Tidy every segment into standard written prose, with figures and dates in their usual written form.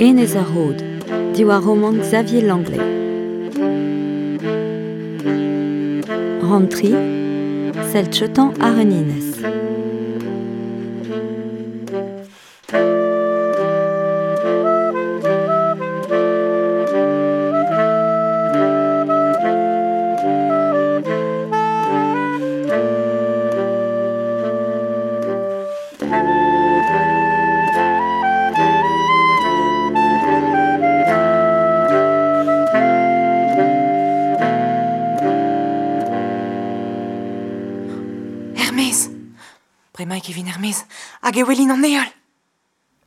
Enez ar Rod, diwar romant Xavier Langlais. Rann tri, sell cheutañ àr un enez. Er-maez Bremaik e vin er-maez hag e welin an heol.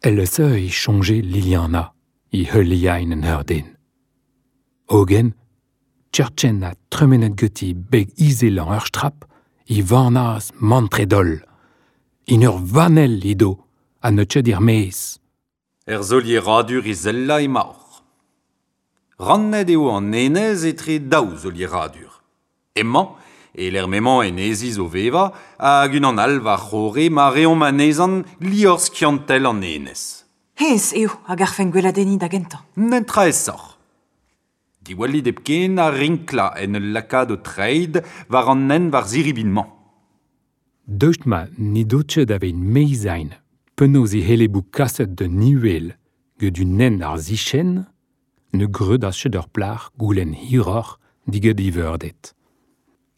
El-se e soñje Liliana e heuliain en ur den. Hogen, Tchertchen ha tremenet ganti beg izelañ ur strap e vanas mantret-holl. En ur vanell edo ha n'eus ket er-maez. Er solieradur izelañ emaoc'h. Rannet eo an enez etre daou solieradur. Emañ, e-lec'h m'emañ eneziz o vevañ, hag unan all war-c'horre ma reomp anezhañ liorzh skiantel an enez. Hennezh eo a garfen gweladenniñ da gentañ. Netra aesoc'h. Diwallit hepken ar rinklañ en ul lakaat ho treid war an hent war ziribin-mañ. Daoust ma n'he do ket aveit meizain penaos e c'helle bout kaset d'un uhel get un hent àr sichenn, ne gredas ket ur plac'h goulenn hiroc'h diget e veurded.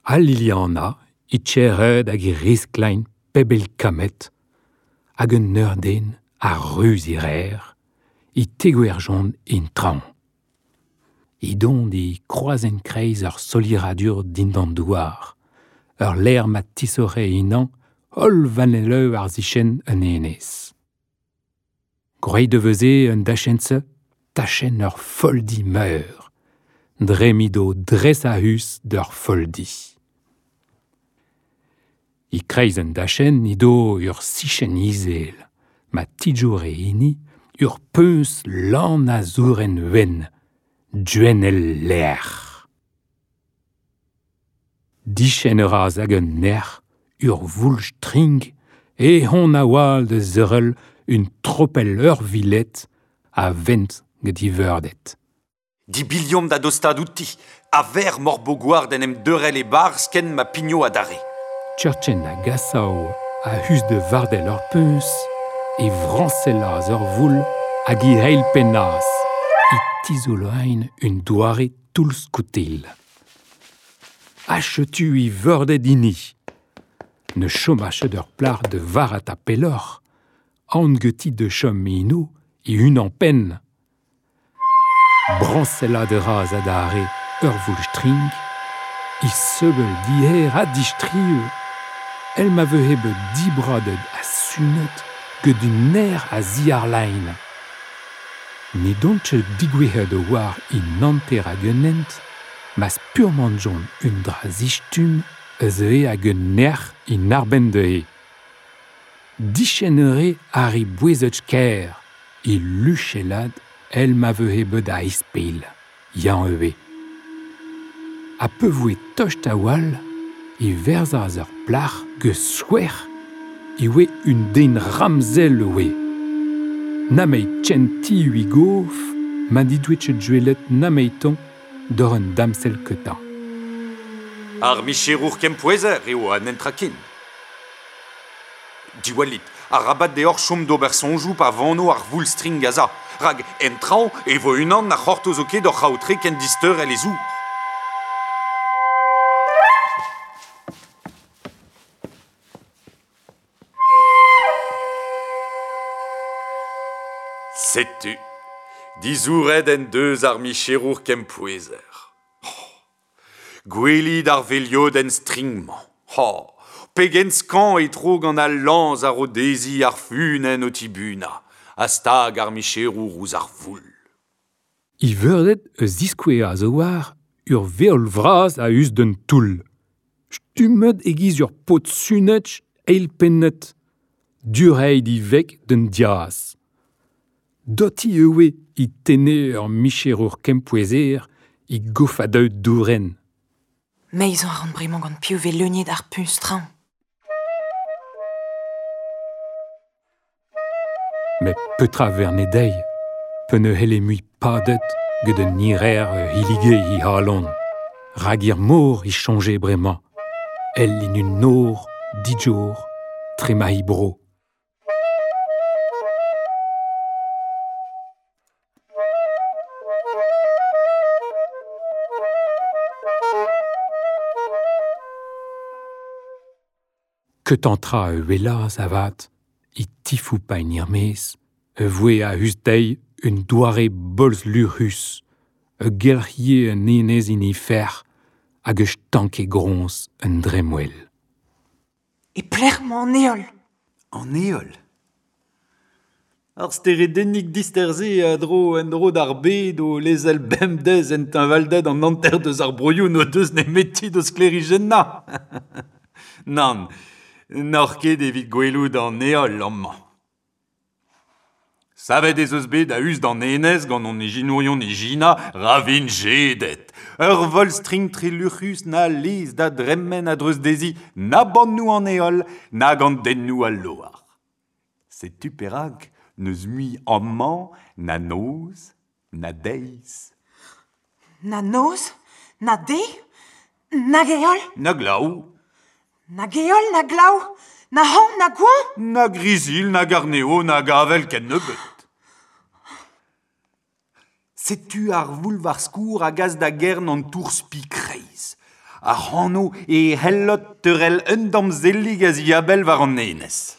Ha Liliana e tchered hag e risklain pebell kammed, hag un eur-den a ruz e rer, e tegouezhjont en traoñ. Edont e kroazenn-kreiz ur solieradur dindan douar, ur lec'h ma tisoc'he ennañ holl vanelloù ar sichenn un enez. Gwraet e veze un dachenn-se tachenn ur folldi meur, dre m'edo dres a-us d'ur folldi. E-kreiz an dachenn edo ur sichenn izel, ma tijore enni ur puñs lan a zourenn wenn, gwenn el lec'h. Diskenn a ra hag un nec'h, ur voul-strink, eh on a-walc'h da seurel un tropell eurviled a vent gant e veurded. Dibilhomp da dostaat outi, a-vec'h m'hor bo gwar d'en em deurel e-barzh ken ma pigno adarre. Tchertchen a gasao a-us da vardell ur puñs, e vrañsellas ur voul hag e eilpennas, e tizoloein un doare toull-skoutel. Ha setu e veurded hini. Ne choma ket ur plac'h da varc'hata pelloc'h, aon ganti da chom eno e-unan-penn. Brañsellat a ra adarre ur voul-strink, he sevel diher ha distriv, èl ma vehe bet dibradet ha sunet get un aer a-ziàr-lein. Ne dont ket degouezhet a-walc'h en hanter ag un hent ma spurmantjont un dra zistumm a zeue ag un nec'h en arbenn dezhe. Diskenn a rae àr e bouezet-kaer, é luchellat èl ma vehe bet a-ispilh, eñ ivez. Ha pa voe tost a-walc'h e verzas ur plac'h get skouer e oe un den ramzel e oe. Nameit kentiñ e gof ma n'he doe ket gwelet nemeitoñ doc'h un damsell ketañ. Ar micherour kempouezer eo an netra ken. Diwallit, arabat deoc'h chom d'ober soñjoù pa vano ar voul-strink aza, rak en traoñ e vo unan na c'hortozo ket hoc'h aotre kent disteurel e zour. Setu, dizouret en deus ar micherour kempouezer. Oh, gwelit ar veliodenn string-mañ. Oh, pegen skañv e tro gant al lañs a ro dezhi ar funenn o tibunañ, ha stag ar micherour ouzh ar voul. E veurded a ziskouezas a-walc'h ur veol vras a-us d'un toull. Stummet e-giz ur paotr sunet eilpennet, dureit e veg d'un diaz. Doti e oe e tenne ur micherour kempouezer e gofadoù dourenn. Meizañ a ran bremañ gant piv 'vez leuniet ar puñs traoñ. Met petra 'verne dezhi? Pe ne helle mui padet get un nirer hilige hi halon. Rag ir mor i chonge bremañ. El in un nor, dijour, trema hi bro. Ket an tra e welaz avat, i tifou pa en irmez, e voe a hus deiz un doare bolz luc'hus, e gelc'hie un enez in fer, hag e stanke groñs un dremmwel. E pelec'h emañ an heol? An heol? Ar steredennig dister-se a dro en-dro d'ar bed o lezel bemdez en teñvalded an hanter deus ar broioù n'o deus nemeti d'o sklêrijennañ. Nann, n'oc'h ket evit gwelout an heol amañ. Savet ez eus bet a-us d'an enez gant hon ijinourion ijina ravin jedet. Ur volz-strink treluc'hus na lez da dremen a-dreuz dezhi na bannoù an heol nag an dennoù al loar. Setu perak n'eus mui amañ na noz na deiz. Na noz, na deiz, nag heol? Na glav. Nag heol, na glav, na hañv, na goañv? Na grizilh, nag arneo, nag avel ken nebeut. Setu ar voul war skourr a gas da gern an tour spi kreiz. Ar c'hano e hellot teurel un damzellig a ziabell war an enez.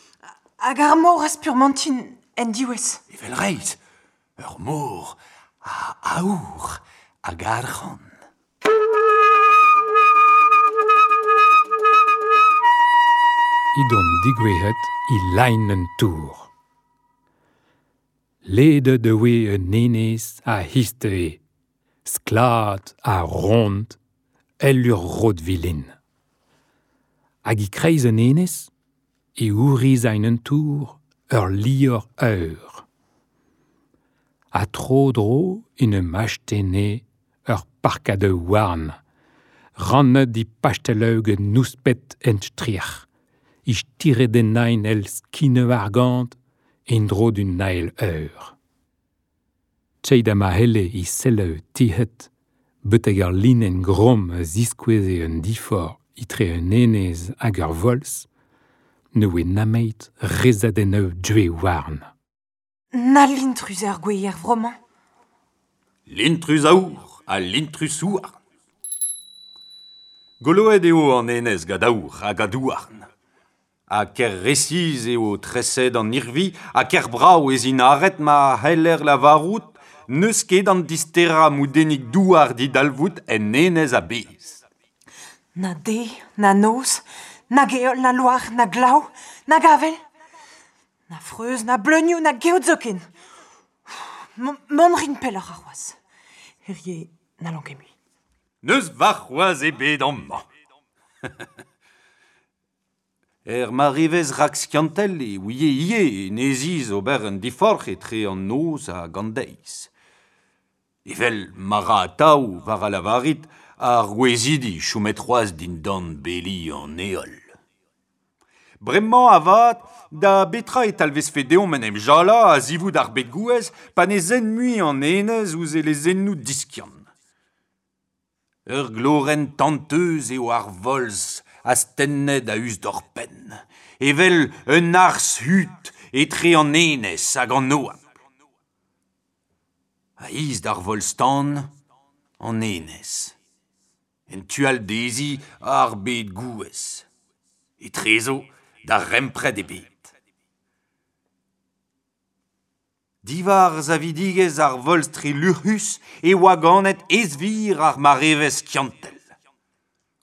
Hag ar mor a spurmantin en diwezh. Evel reizh, ur mor a aour hag arc'hant. Idon digouezhet i lein un tour. Ledet e oe un enez a histe sklad ha ront, el ur rod vilin. Hag i kreiz un enez, e ouriz ein un tour ur lior eur. Ha tro-dro en ur achtene ur parkad houarn, rannet di pasteleug nouspet en stric'h, i stiredennain el skine argant en dro d'un nael eur. Tcheid a ma helle i selleu tihet, beteg ar linen grom a ziskoueze un difor itre un enez hag ur volz, ne oe nameit rezadenneu due warn. Na lintrus ar gweier vromañ. Lintrus aour ha lintrus houarn. Goloet eo an enez gant aour hag adouarn. Ha ker resiz eo treset an irvi, ha ker brav ez int aret ma c'heller lavarout, n'eus ket an disterañ moudennig douar didalvoud en enez a-bezh. Na deiz, na noz, nag heol, na loar, na glav, nag avel. Na freuz, na bleunioù, na geot zoken. Mont rin pelloc'h ar c'hoazh. Hirie n'hallan ket mui. N'eus warc'hoazh ebet amañ. Er marivez rakskiantel e ouie ivez eneziz ober un diforc'h etre an noz hag an deiz. Evel ma ra atav war a lavarit ar gouezidi chomet c'hoazh dindan beli an heol. Bremañ avat, da betra e talvezfe deomp en em jalañ a-zivout ar bed gouez pa ne zen mui an enez ouzh e lezennoù diskiant. Ur glorenn tanteuz eo ar volz astennet a-us d'hor penn, evel un arzh hud etre an enez hag an oabl. A-is d'ar volz-tan, an enez. En tu all dezhi ar bed gouez. Etrezo d'ar rempred ebet. Diwar savidigezh ar volz treluc'hus e oa ganet ezvir ar marevezh skiantel.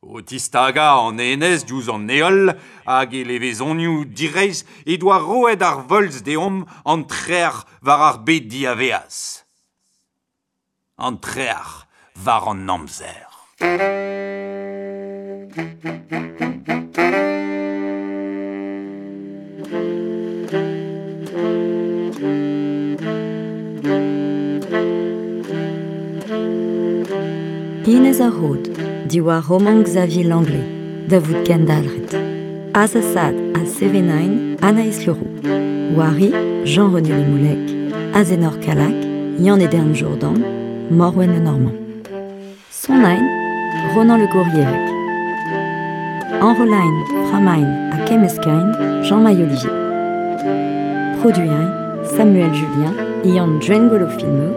O tistagañ an enez diouzh an heol hag e levezonioù direizh he doa roet ar volz deomp an trec'h war ar bed diavaez. An trec'h war an amzer. Inez ar Rod, diwar roman Xavier Langlais, da vout kendalc'het. Azasad ha Sevenain, Anaïs Leroux. Wari, Jean-René Lemoulec, Azenor Kalak, Yann Edern Jourdan, Morwen Le Normand. Sonain, Ronan Le Gourrierec. Enrolain, Framain ha Kemmeskain, Jean-Maï Olivier. Produain, Samuel Julien, Ian Djengolo Filmeux,